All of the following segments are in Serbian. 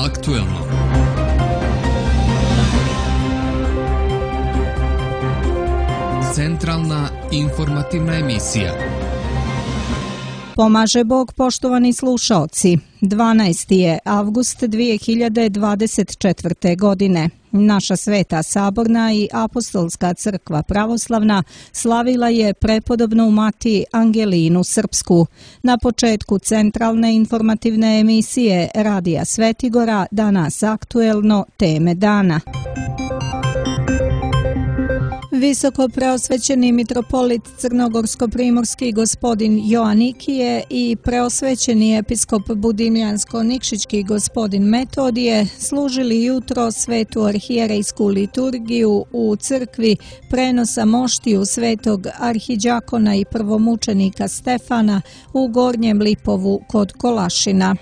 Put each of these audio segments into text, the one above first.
aktuelno. Centralna informativna emisija. Pomaže Bog, poštovani slušaoci. 12. je avgust 2024. godine. Naša Sveta Saborna i Apostolska crkva pravoslavna slavila je prepodobnu mati Angelinu Srpsku. Na početku centralne informativne emisije Radija Svetigora danas aktuelno teme dana. Visoko preosvećeni mitropolit crnogorsko-primorski gospodin Joanikije i preosvećeni episkop budimljansko-nikšićki gospodin Metodije služili jutro svetu arhijerejsku liturgiju u crkvi prenosa moštiju svetog arhidžakona i prvomučenika Stefana u Gornjem Lipovu kod Kolašina.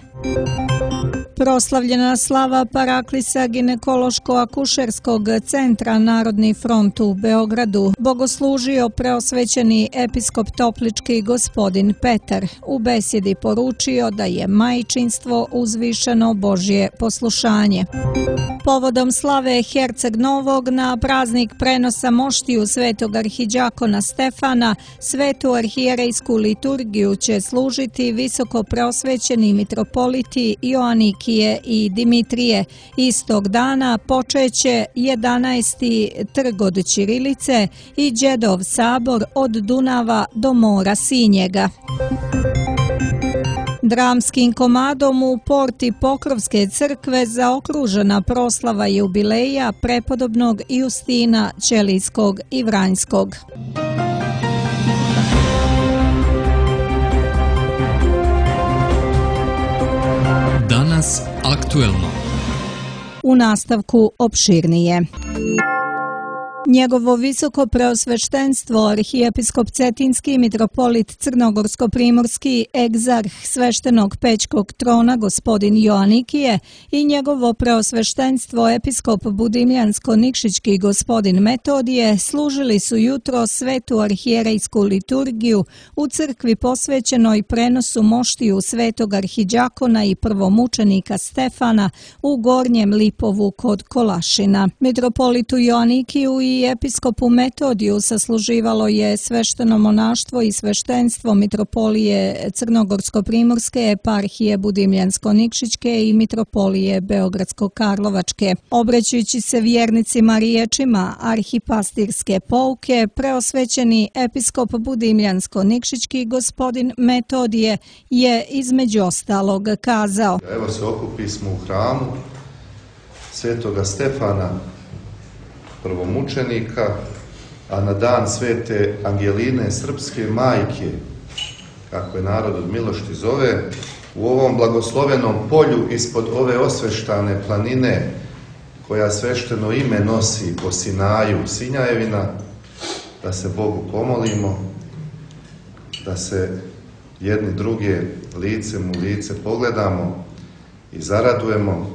Proslavljena slava Paraklisa ginekološko-akušerskog centra Narodni front u Beogradu bogoslužio preosvećeni episkop toplički gospodin Petar. U besjedi poručio da je majčinstvo uzvišeno Božje poslušanje. Povodom slave Herceg Novog na praznik prenosa moštiju svetog arhidžakona Stefana, svetu arhijerejsku liturgiju će služiti visoko preosvećeni mitropoliti Joanikije i Dimitrije. Istog dana počeće 11. trg od Ćirilice i Đedov sabor od Dunava do mora Sinjega. Dramskim komadom u porti Pokrovske crkve zaokružena proslava jubileja prepodobnog Justina Ćelijskog i Vranjskog. Danas aktuelno. U nastavku opširnije. Njegovo visoko preosveštenstvo arhijepiskop Cetinski mitropolit crnogorsko-primorski egzarh sveštenog Pećkog trona gospodin Joanikije i njegovo preosveštenstvo episkop budimljansko-nikšićki gospodin Metodije služili su jutro svetu arhijerejsku liturgiju u crkvi posvećenoj prenosu moštiju svetog arhidžakona i prvomučenika Stefana u Gornjem Lipovu kod Kolašina. Mitropolitu Joanikiju i episkopu Metodiju sasluživalo je svešteno monaštvo i sveštenstvo mitropolije Crnogorsko-primorske, eparhije Budimljansko-nikšićke i mitropolije Beogradsko-karlovačke. Obraćajući se vjernicima riječima arhipastirske pouke, preosvećeni episkop Budimljansko-nikšićki gospodin Metodije je između ostalog kazao: Evo se okupismo u hramu svetoga Stefana, prvomučenika, a na dan svete Angeline Srpske majke, kako je narod od milošti zove, u ovom blagoslovenom polju ispod ove osveštane planine koja svešteno ime nosi po Sinaju Sinjajevina, da se Bogu pomolimo, da se jedni druge licem u lice pogledamo i zaradujemo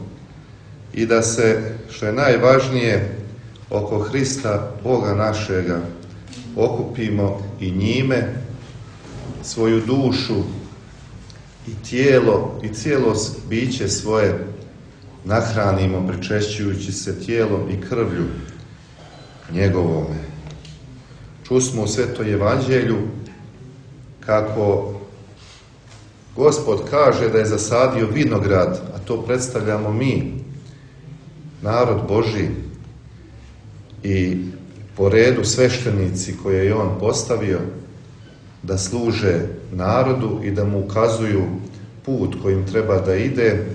i da se, što je najvažnije, oko Hrista, Boga našega, okupimo i njime svoju dušu i tijelo i cijelo biće svoje nahranimo pričešćujući se tijelom i krvlju njegovome. Čusmo u Svetoj Evanđelju kako Gospod kaže da je zasadio vinograd, a to predstavljamo mi, narod Božji, i po redu sveštenici koje je on postavio da služe narodu i da mu ukazuju put kojim treba da ide,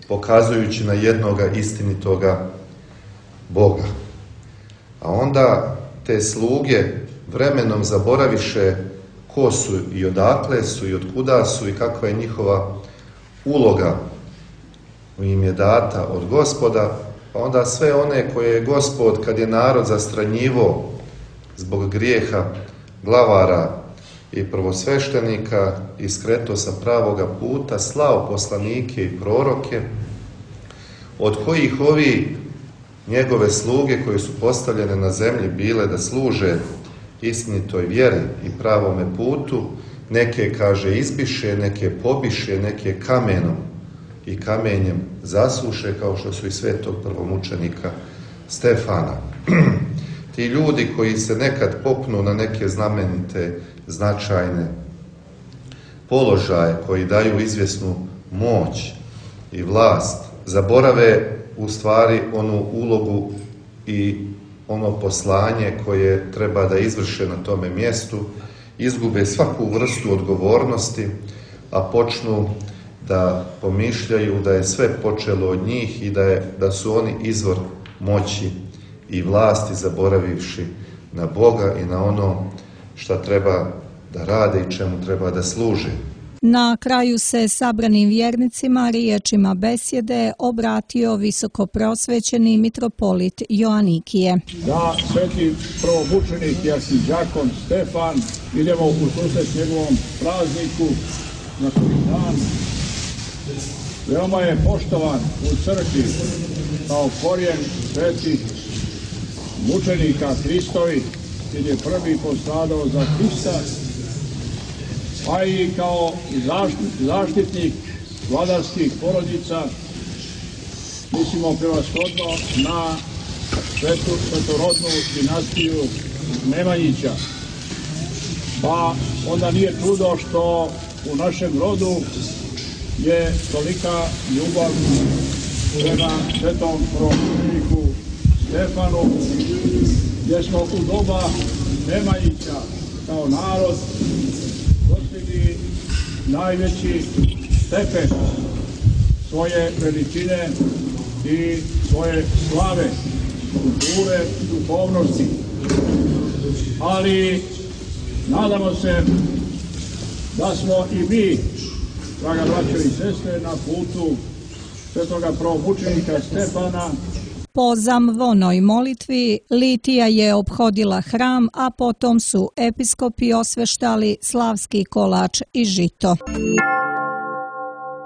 pokazujući na jednoga istinitoga Boga. A onda te sluge vremenom zaboraviše ko su i odakle su i otkuda su i kakva je njihova uloga im je data od Gospoda, pa onda sve one koje je Gospod, kad je narod zastranjivo zbog grijeha glavara i prvosveštenika i skreto sa pravoga puta, slao poslanike i proroke, od kojih ovi njegove sluge koje su postavljene na zemlji bile da služe istinitoj vjeri i pravome putu, neke, kaže, izbiše, neke pobiše, neke kamenom i kamenjem zasuše, kao što su i svetog prvomučenika Stefana. Ti ljudi koji se nekad popnu na neke znamenite, značajne položaje, koji daju izvjesnu moć i vlast, zaborave u stvari onu ulogu i ono poslanje koje treba da izvrše na tome mjestu, izgube svaku vrstu odgovornosti, a počnu da pomišljaju da je sve počelo od njih i da su oni izvor moći i vlasti, zaboravivši na Boga i na ono šta treba da rade i čemu treba da služe. Na kraju se sabranim vjernicima riječima besjede obratio visokopreosvećeni mitropolit Joanikije. Da sveti prvomučenik i arhidjakon Stefan, idemo u susret njegovom prazniku na koji dan. Veoma je poštovan u crkvi kao korijen svetih mučenika Hristovi, jer je prvi postradao za Hrista, pa i kao zaštitnik vladarskih porodica, mislimo prevashodno na svetorodnu dinastiju Nemanjića. Pa onda nije čudo što u našem rodu je tolika ljubav prema svetom prvomučeniku Stefanu, gdje smo u doba Nemanjića kao narod dostigli najveći stepen svoje veličine i svoje slave, kulture, duhovnosti. Ali nadamo se da smo i mi, draga braćo i sestre, na putu svetoga prvomučenika Stefana. Po zamvonoj molitvi litija je ophodila hram, a potom su episkopi osveštali slavski kolač i žito.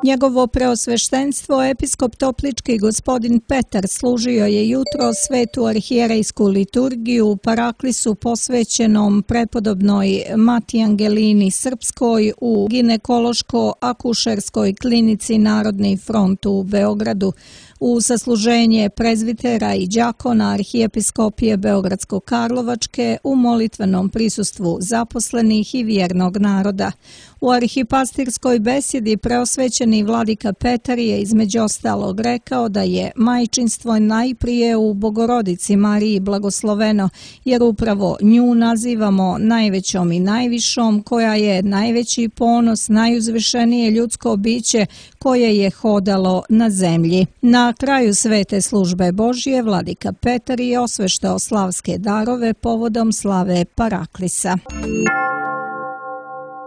Njegovo preosveštenstvo, episkop Toplički gospodin Petar, služio je jutro svetu arhijerejsku liturgiju u paraklisu posvećenom prepodobnoj Mati Angelini Srpskoj u ginekološko-akušerskoj klinici Narodni front u Beogradu. U sasluženje prezvitera i đakona arhijepiskopije Beogradsko-Karlovačke u molitvenom prisustvu zaposlenih i vjernog naroda. U arhipastirskoj besjedi preosvećeni vladika Petar je između ostalog rekao da je majčinstvo najprije u Bogorodici Mariji blagosloveno, jer upravo nju nazivamo najvećom i najvišom, koja je najveći ponos, najuzvišenije ljudsko biće koje je hodalo na zemlji. Na kraju svete službe Božje vladika Petar je osveštao slavske darove povodom slave Paraklisa.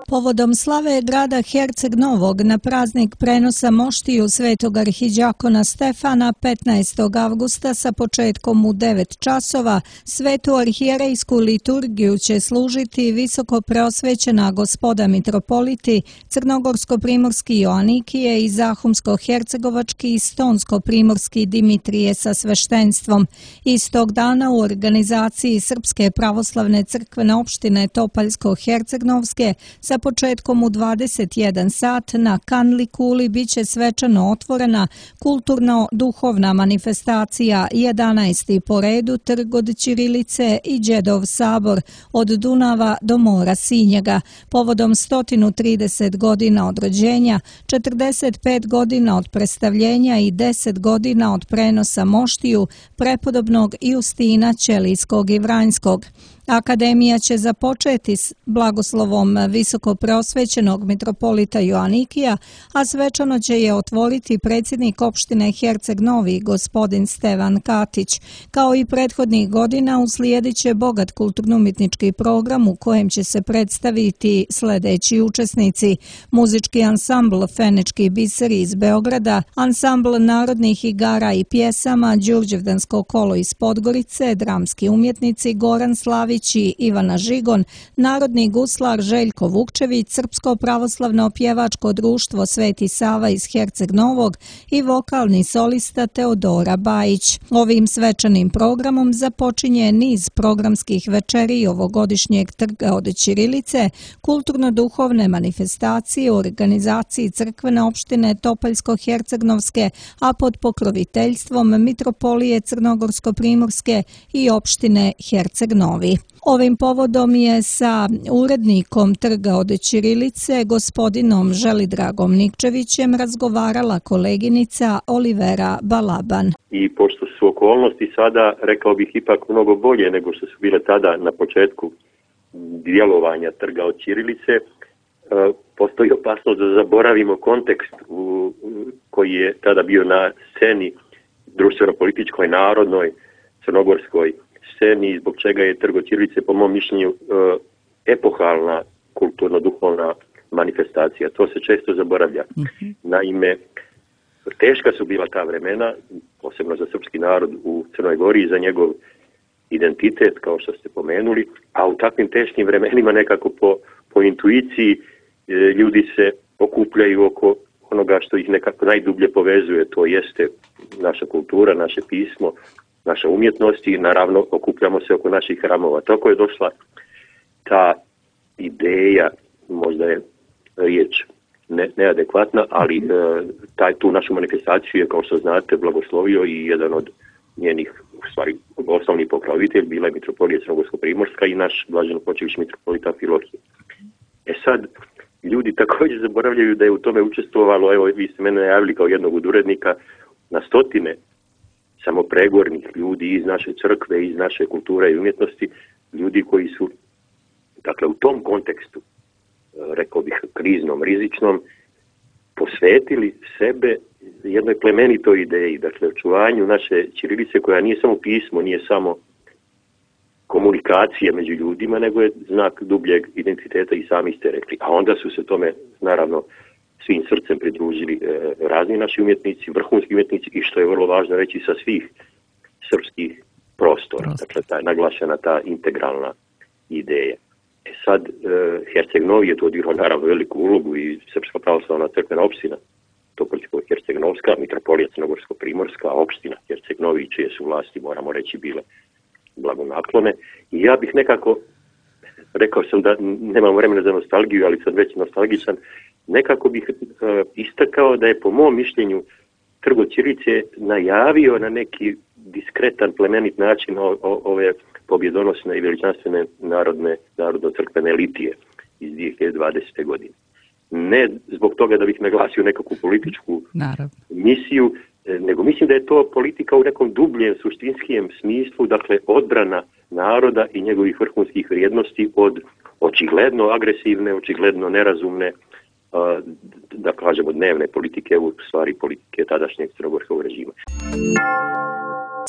Povodom slave grada Herceg Novog na praznik prenosa moštiju svetog arhidjakona Stefana 15. avgusta sa početkom u 9 časova svetu arhijerejsku liturgiju će služiti visoko preosvećena gospoda mitropoliti Crnogorsko-primorski Joanikije i Zahumsko-hercegovački i Stonsko-primorski Dimitrije sa sveštenstvom. Istog dana u organizaciji Srpske pravoslavne crkvene opštine Topaljsko-hercegnovske sa početkom u 21 sat na Kanli kuli biće svečano otvorena kulturno-duhovna manifestacija 11. po redu Trg od Ćirilice i Đedov sabor od Dunava do mora Sinjega povodom 130 godina od rođenja, 45 godina od predstavljenja i 10 godina od prenosa moštiju prepodobnog Justina Ćelijskog i Vranjskog. Akademija će započeti s blagoslovom visoko preosvećenog mitropolita Joanikija, a svečano će je otvoriti predsjednik opštine Herceg Novi, gospodin Stevan Katić. Kao i prethodnih godina uslijedit će bogat kulturno-umjetnički program u kojem će se predstaviti sljedeći učesnici: muzički ansambl Fenički biseri iz Beograda, ansambl narodnih igara i pjesama Đurđevdansko kolo iz Podgorice, dramski umjetnici Goran Slavić Đurić i Ivana Žigon, narodni guslar Željko Vukčević, Srpsko pravoslavno pjevačko društvo Sveti Sava iz Herceg Novog i vokalni solista Teodora Bajić. Ovim svečanim programom započinje niz programskih večeri ovogodišnjeg Trga od ćirilice, kulturno-duhovne manifestacije u organizaciji crkvene opštine Topoljsko-Hercegnovske, a pod pokroviteljstvom Mitropolije Crnogorsko-Primorske i opštine Herceg Novi. Ovim povodom je sa urednikom Trga od ćirilice, gospodinom Želidragom Nikčevićem, razgovarala koleginica Olivera Balaban. I pošto su okolnosti sada, rekao bih, ipak mnogo bolje nego što su bile tada na početku djelovanja Trga od ćirilice, postoji opasnost da zaboravimo kontekst koji je tada bio na sceni društveno-političkoj, narodnoj, crnogorskoj sceni, zbog čega je Trg od ćirilice, po mom mišljenju, epohalna kulturno-duhovna manifestacija. To se često zaboravlja. Naime, teška su bila ta vremena, posebno za srpski narod u Crnoj Gori i za njegov identitet, kao što ste pomenuli, a u takvim teškim vremenima nekako po intuiciji ljudi se okupljaju oko onoga što ih nekako najdublje povezuje, to jeste naša kultura, naše pismo, naša umjetnost i naravno okupljamo se oko naših hramova. Tako je došla ta ideja, možda je riječ neadekvatna, ali tu našu manifestaciju je, kao što znate, blagoslovio i jedan od njenih, u stvari, osnovni pokrovitelj bila je Mitropolija Crnogorsko-Primorska i naš blaženopočivši mitropolita Amfilohije. Sad, ljudi također zaboravljaju da je u tome učestvovalo, evo, vi ste mene najavili kao jednog od urednika, na stotine samopregornih ljudi iz naše crkve, iz naše kulture i umjetnosti, ljudi koji su, dakle, u tom kontekstu, rekao bih, kriznom, rizičnom, posvetili sebe jednoj plemenitoj ideji, dakle, očuvanju naše ćirilice, koja nije samo pismo, nije samo komunikacija među ljudima, nego je znak dubljeg identiteta, i sami ste rekli. A onda su se tome, naravno, svim srcem pridružili razni naši umjetnici, vrhunski umjetnici, i što je vrlo važno reći, sa svih srpskih prostora. Dakle, naglašena ta integralna ideja. Sad, Herceg Novi je to odigrao naravno veliku ulogu i Srpska pravoslavna crkvena opština Topoljsko-Hercegnovska, Mitropolija Crnogorsko-Primorska, opština Herceg Novi, čije su vlasti, moramo reći, bile blagonaklone. I ja bih nekako, rekao sam da nemam vremena za nostalgiju, ali sam već nostalgičan, nekako bih istakao da je, po mom mišljenju, Trg od ćirilice najavio na neki diskretan, plemenit način ove pobjedonosne i veličanstvene narodno-crkvene litije iz 2020. godine. Ne zbog toga da bih naglasio nekakvu političku misiju, nego mislim da je to politika u nekom dubljem, suštinskijem smislu, dakle, odbrana naroda i njegovih vrhunskih vrijednosti od očigledno agresivne, očigledno nerazumne, da kažemo, dnevne politike, u stvari politike tadašnjeg crnogorskog režima.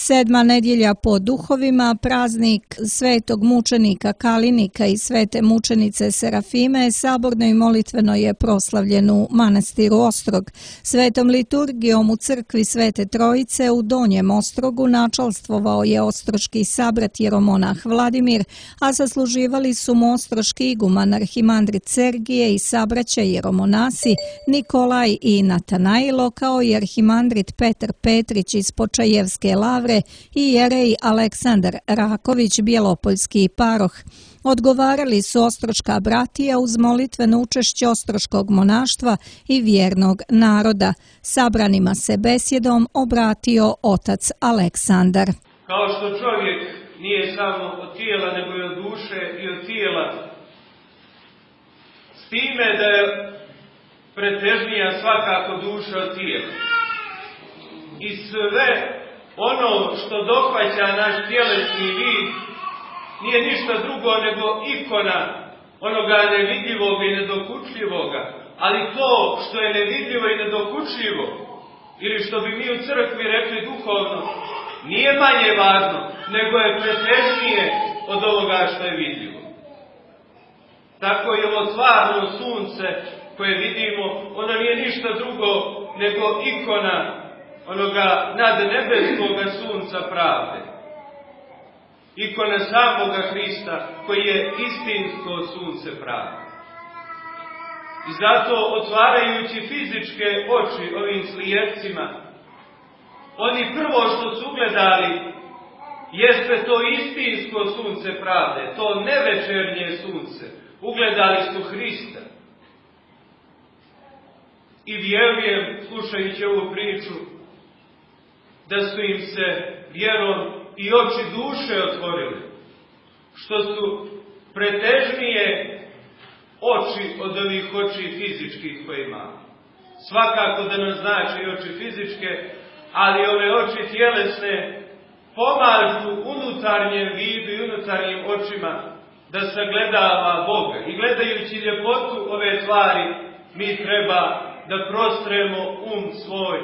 7. nedjelja po duhovima, praznik svetog mučenika Kalinika i svete mučenice Serafime, saborno i molitveno je proslavljen u manastiru Ostrog. Svetom liturgijom u crkvi Svete Trojice u Donjem Ostrogu načalstvovao je ostroški sabrat jeromonah Vladimir, a sasluživali su mu ostroški iguman arhimandrit Sergije i sabraća jeromonasi Nikolaj i Natanailo, kao i arhimandrit Petar Petrić iz Počajevske lavre i jerej Aleksandar Raković, bjelopoljski paroh. Odgovarali su ostroška bratija uz molitveno učešće ostroškog monaštva i vjernog naroda. Sabranima se besjedom obratio otac Aleksandar. Kao što čovjek nije samo od tijela, nego i od duše i od tijela, s time da je pretežnija svakako duša od tijela. I sve ono što dohvaća naš tjelesni vid nije ništa drugo nego ikona onoga nevidljivog i nedokučljivoga, ali to što je nevidljivo i nedokučljivo, ili što bi mi u crkvi rekli duhovno, nije manje važno, nego je pretežnije od ovoga što je vidljivo. Tako je ovo stvarno sunce koje vidimo, ono nije ništa drugo nego ikona onoga nadnebeskoga sunca pravde. ikona samoga Hrista, koji je istinsko sunce pravde. I zato, otvarajući fizičke oči ovim slijepcima, oni prvo što su ugledali jeste to istinsko sunce pravde, to nevečernje sunce. Ugledali su Hrista. I vjerujem, slušajući ovu priču, da su im se vjerom i oči duše otvorile, što su pretežnije oči od ovih oči fizičkih koje imamo. Svakako da nam znači i oči fizičke, ali ove oči tjelesne pomažu unutarnjem vidu i unutarnjim očima da sagledava Boga. I gledajući ljepotu ove tvari, mi treba da prostremo svoj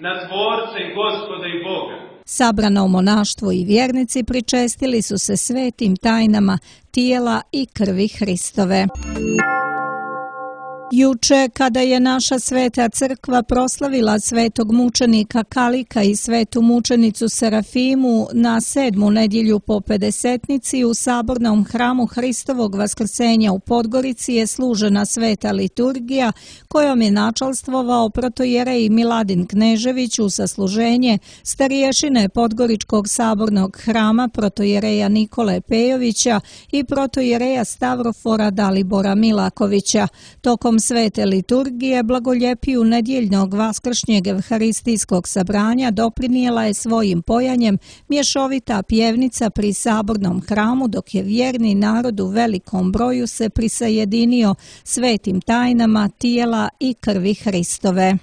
na Tvorca i Gospoda i Boga. Sabrano monaštvo i vjernici pričestili su se svetim tajnama tijela i krvi Hristove. Juče, kada je naša sveta crkva proslavila svetog mučenika Kalika i svetu mučenicu Serafimu na 7. nedjelju po Pedesetnici u sabornom hramu Hristovog vaskrsenja u Podgorici je služena sveta liturgija kojom je načalstvovao protojerej Miladin Knežević u sasluženje starješine Podgoričkog sabornog hrama protojereja Nikole Pejovića i protojereja Stavrofora Dalibora Milakovića. Tokom svete liturgije blagoljepiju nedjeljnog vaskršnjeg evharistijskog sabranja doprinijela je svojim pojanjem mješovita pjevnica pri sabornom hramu, dok je vjerni narod u velikom broju se prisajedinio svetim tajnama tijela i krvi Hristove.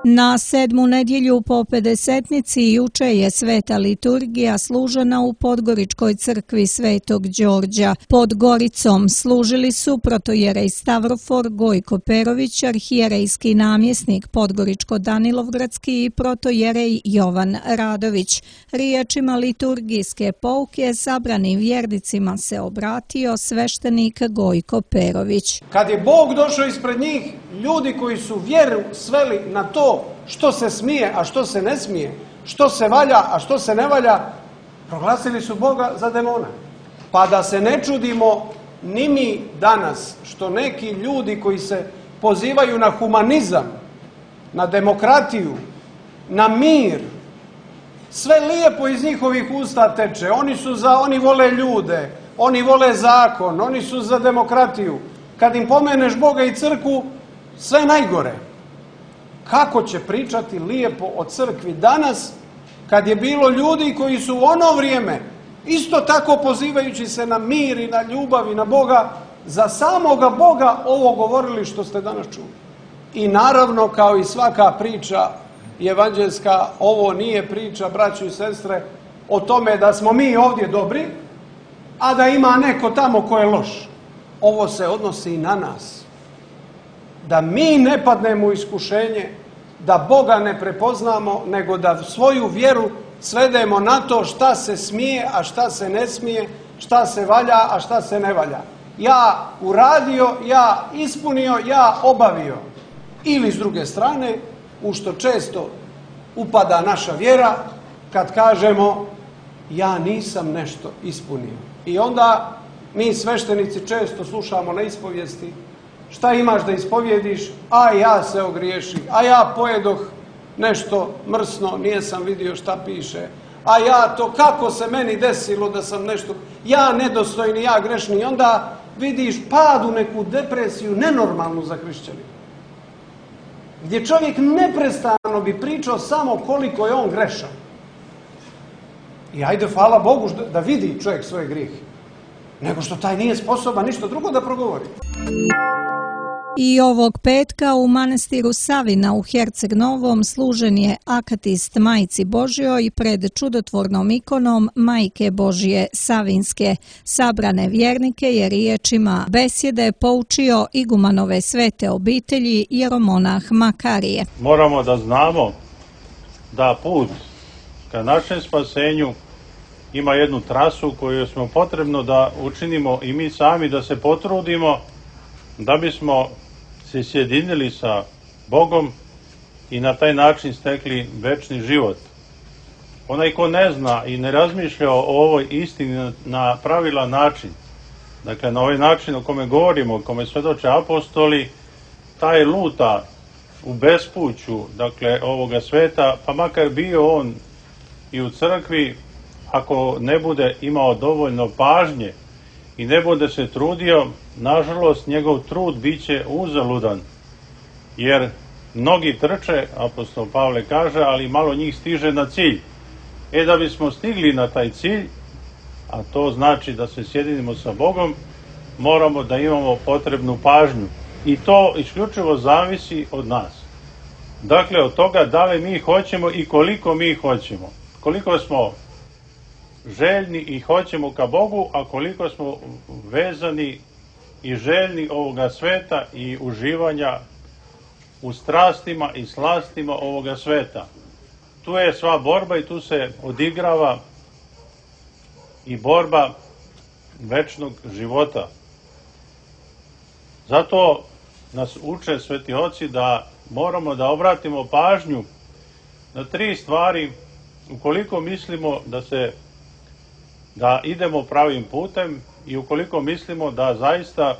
Na 7. nedjelju po Pedesetnici juče je sveta liturgija služena u Podgoričkoj crkvi Svetog Đorđa. Pod Goricom služili su protojerej Stavrofor Gojko Perović, arhijerejski namjesnik Podgoričko-Danilovgradski i protojerej Jovan Radović. Riječima liturgijske pouke sabranim vjernicima se obratio sveštenik Gojko Perović. Kad je Bog došao ispred njih, ljudi koji su vjeru sveli na to što se smije, a što se ne smije, što se valja, a što se ne valja, proglasili su Boga za demona. Pa da se ne čudimo ni mi danas što neki ljudi koji se pozivaju na humanizam, na demokratiju, na mir, sve lijepo iz njihovih usta teče. Oni vole ljude, oni vole zakon, oni su za demokratiju. Kad im pomeneš Boga i crkvu, sve najgore. Kako će pričati lijepo o crkvi danas, kad je bilo ljudi koji su u ono vrijeme, isto tako pozivajući se na mir i na ljubav i na Boga, za samoga Boga ovo govorili što ste danas čuli. I naravno, kao i svaka priča evanđeljska, ovo nije priča, braćo i sestre, o tome da smo mi ovdje dobri, a da ima neko tamo ko je loš. Ovo se odnosi i na nas. Da mi ne padnemo u iskušenje, da Boga ne prepoznamo, nego da svoju vjeru svedemo na to šta se smije, a šta se ne smije, šta se valja, a šta se ne valja. Ja uradio, ja ispunio, ja obavio. Ili s druge strane, u što često upada naša vjera, kad kažemo ja nisam nešto ispunio. I onda mi sveštenici često slušamo na ispovijesti: šta imaš da ispovjediš? A ja se ogriješi, a ja pojedoh nešto mrsno, nisam vidio šta piše, a ja to, kako se meni desilo da sam nešto, ja nedostojni, ja grešni. I onda vidiš pad u neku depresiju nenormalnu za hrišćanina, gdje čovjek neprestano bi pričao samo koliko je on grešan. I ajde, hvala Bogu da vidi čovjek svoje grijehe, nego što taj nije sposoban ništa drugo da progovori. I ovog petka u manastiru Savina u Herceg Novom služen je akatist Majci Božjoj pred čudotvornom ikonom Majke Božje Savinske. Sabrane vjernike je riječima besjede poučio igumanove svete obitelji jeromonah Makarije. Moramo da znamo da put ka našem spasenju ima jednu trasu koju smo potrebno da učinimo i mi sami, da se potrudimo da bismo se sjedinili sa Bogom i na taj način stekli večni život. onaj ko ne zna i ne razmišlja o ovoj istini na pravilan način, dakle na ovaj način o kome govorimo, o kome svedoče apostoli, taj luta u bespuću, dakle ovoga sveta, pa makar bio on i u crkvi, ako ne bude imao dovoljno pažnje i ne bude se trudio, nažalost njegov trud bit će uzaludan, jer mnogi trče, apostol Pavle kaže, ali malo njih stiže na cilj. Da bismo stigli na taj cilj, a to znači da se sjedinimo sa Bogom, moramo da imamo potrebnu pažnju. I to isključivo zavisi od nas. Dakle, od toga da li mi hoćemo i koliko mi hoćemo. Koliko smo željni i hoćemo ka Bogu, a koliko smo vezani i željni ovoga sveta i uživanja u strastima i slastima ovoga sveta. Tu je sva borba i tu se odigrava i borba večnog života. Zato nas uče sveti oci da moramo da obratimo pažnju na 3 stvari ukoliko mislimo da idemo pravim putem i ukoliko mislimo da zaista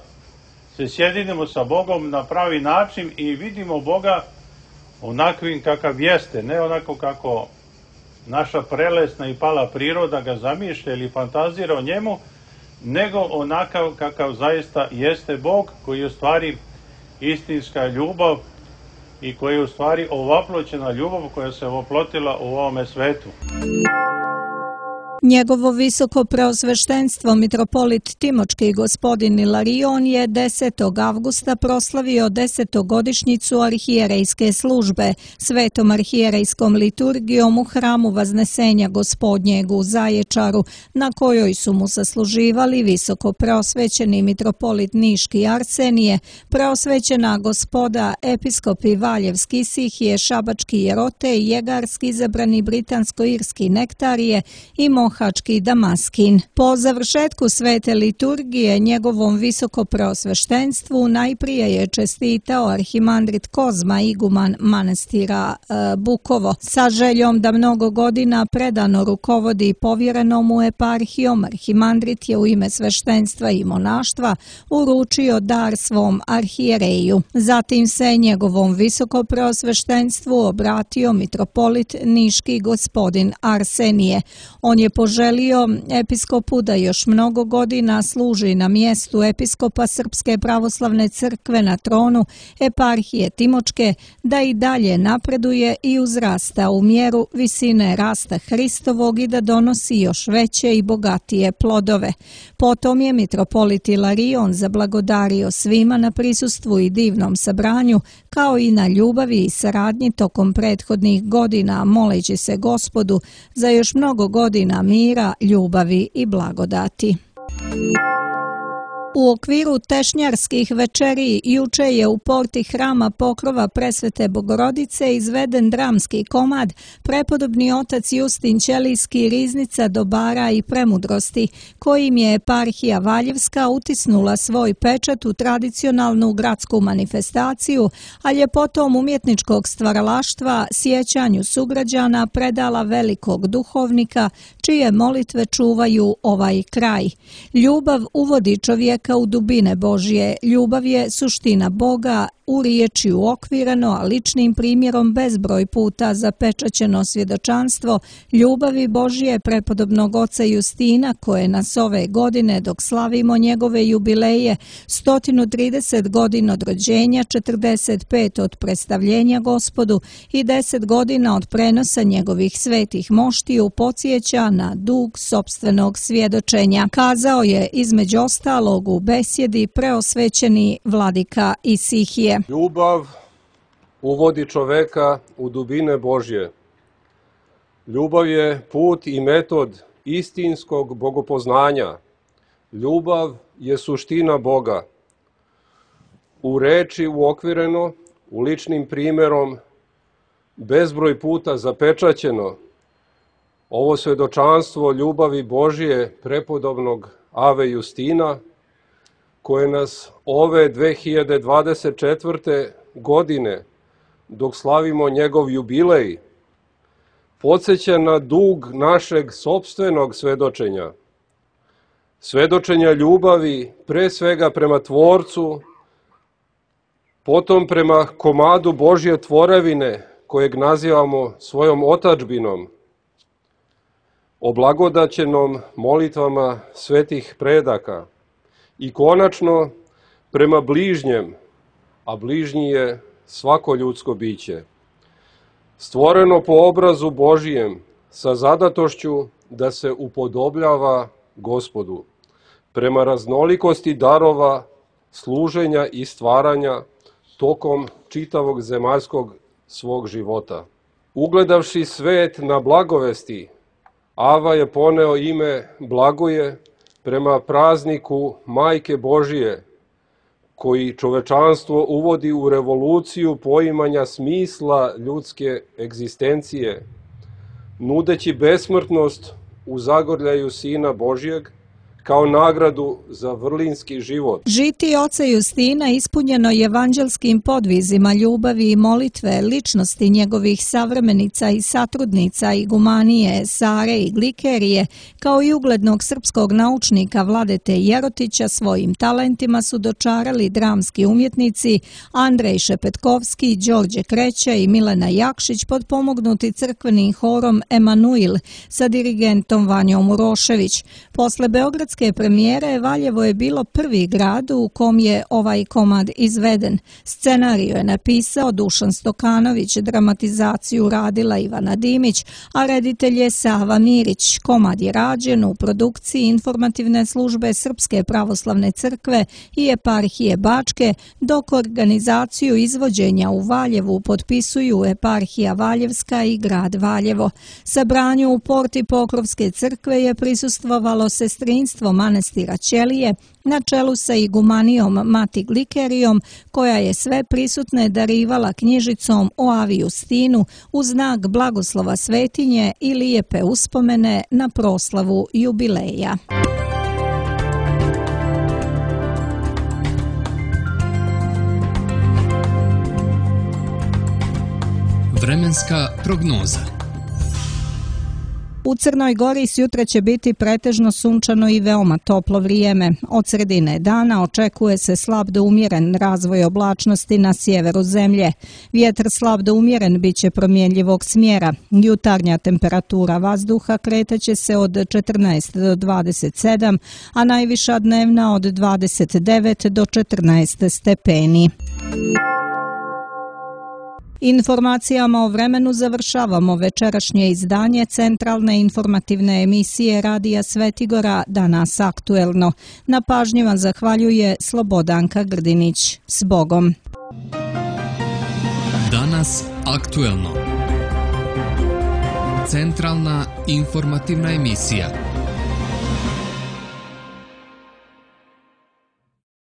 se sjedinimo sa Bogom na pravi način i vidimo Boga onakvim kakav jeste, ne onako kako naša prelesna i pala priroda ga zamišlja ili fantazira o njemu, nego onakav kakav zaista jeste Bog, koji je u stvari istinska ljubav i koji je u stvari ovaploćena ljubav koja se oplotila u ovome svetu. Njegovo visoko preosveštenstvo mitropolit Timočki gospodin Ilarion je 10. avgusta proslavio 10-godišnjicu arhijerejske službe svetom arhijerejskom liturgijom u hramu Vaznesenja Gospodnjeg u Zaječaru, na kojoj su mu sasluživali visoko preosvećeni mitropolit Niški Arsenije, preosvećena gospoda episkopi Valjevski Sihije, Šabački Jerote i Jegarski izabrani britansko-irski Nektarije i Mohački Damaskin. Po završetku svete liturgije njegovom visoko preosveštenstvu najprije je čestitao arhimandrit Kozma, iguman manastira Bukovo. Sa željom da mnogo godina predano rukovodi povjerenom mu eparhijom, arhimandrit je u ime sveštenstva i monaštva uručio dar svom arhijereju. Zatim se njegovom visoko preosveštenstvu obratio mitropolit Niški gospodin Arsenije. On je poželio episkopu da još mnogo godina služi na mjestu episkopa Srpske pravoslavne crkve na tronu eparhije Timočke, da i dalje napreduje i uzrasta u mjeru visine rasta Hristovog i da donosi još veće i bogatije plodove. Potom je mitropolit Ilarion zablagodario svima na prisustvu i divnom sabranju, kao i na ljubavi i saradnji tokom prethodnih godina, moleći se Gospodu za još mnogo godina mira, ljubavi i blagodati. U okviru tešnjarskih večeri juče je u porti hrama Pokrova Presvete Bogorodice izveden dramski komad Prepodobni otac Justin Ćelijski, riznica dobara i premudrosti, kojim je eparhija Valjevska utisnula svoj pečat u tradicionalnu gradsku manifestaciju, a ljepotom umjetničkog stvaralaštva sjećanju sugrađana predala velikog duhovnika, čije molitve čuvaju ovaj kraj. Ljubav uvodi čovjeka u dubine Božje. Ljubav je suština Boga, u riječi uokvireno, a ličnim primjerom bezbroj puta zapečaćeno svjedočanstvo ljubavi Božje prepodobnog oca Justina, koje nas ove godine, dok slavimo njegove jubileje, 130 godina od rođenja, 45 od predstavljenja Gospodu i 10 godina od prenosa njegovih svetih moštiju, podsjeća na dug sopstvenog svjedočenja. Kazao je između ostalog u besjedi preosvećeni vladika Isihije. Ljubav uvodi čoveka u dubine Božje. Ljubav je put i metod istinskog bogopoznanja. Ljubav je suština Boga. U reči uokvireno, u ličnim primjerom, bezbroj puta zapečaćeno, ovo svjedočanstvo ljubavi Božje prepodobnog Ave Justina, koje nas ove 2024. godine, dok slavimo njegov jubilej, podsjeća na dug našeg sopstvenog svedočenja. Svedočenja ljubavi, pre svega prema Tvorcu, potom prema komadu Božje tvorevine, kojeg nazivamo svojom otadžbinom, oblagodaćenom molitvama svetih predaka i konačno prema bližnjem, a bližnji je svako ljudsko biće, stvoreno po obrazu Božijem sa zadatošću da se upodobljava Gospodu, prema raznolikosti darova, služenja i stvaranja tokom čitavog zemaljskog svog života. Ugledavši svet na blagovesti, Ava je poneo ime Blagoje prema prazniku Majke Božije, koji čovečanstvo uvodi u revoluciju poimanja smisla ljudske egzistencije, nudeći besmrtnost u zagrljaju Sina Božjeg kao nagradu za vrlinski život. Žitije oca Justina ispunjeno je evanđelskim podvizima ljubavi i molitve ličnosti njegovih savremenica i satrudnica Igumanije, Sare i Glikerije, kao i uglednog srpskog naučnika Vladete Jerotića, svojim talentima su dočarali dramski umjetnici Andrej Šepetkovski, Đorđe Kreća i Milena Jakšić, potpomognuti crkvenim horom Emanuil sa dirigentom Vanjom Urošević. Posle beogradske premijere Valjevo je bilo prvi grad u kom je ovaj komad izveden. Scenariju je napisao Dušan Stokanović, dramatizaciju radila Ivana Dimić, a reditelj je Sava Mirić. Komad je rađen u produkciji informativne službe Srpske pravoslavne crkve i eparhije Bačke, dok organizaciju izvođenja u Valjevu potpisuju eparhija Valjevska i grad Valjevo. Sabranju u porti Pokrovske crkve je prisustvovalo sestrinstvo manastira Ćelije na čelu sa igumanijom Mati Glikerijom, koja je sve prisutne darivala knjižicom o Avi Justinu u znak blagoslova svetinje i lijepe uspomene na proslavu jubileja. Vremenska prognoza. U Crnoj Gori sjutra će biti pretežno sunčano i veoma toplo vrijeme. Od sredine dana očekuje se slab do umjeren razvoj oblačnosti na sjeveru zemlje. Vjetar slab do umjeren bit će promjenljivog smjera. Jutarnja temperatura vazduha kretaće se od 14 do 27, a najviša dnevna od 29 do 14 stepeni. Informacijama o vremenu završavamo večerašnje izdanje centralne informativne emisije Radija Svetigora Danas aktuelno. Na pažnji vam zahvaljuje Slobodanka Grdinić. S Bogom! Danas aktuelno. Centralna informativna emisija.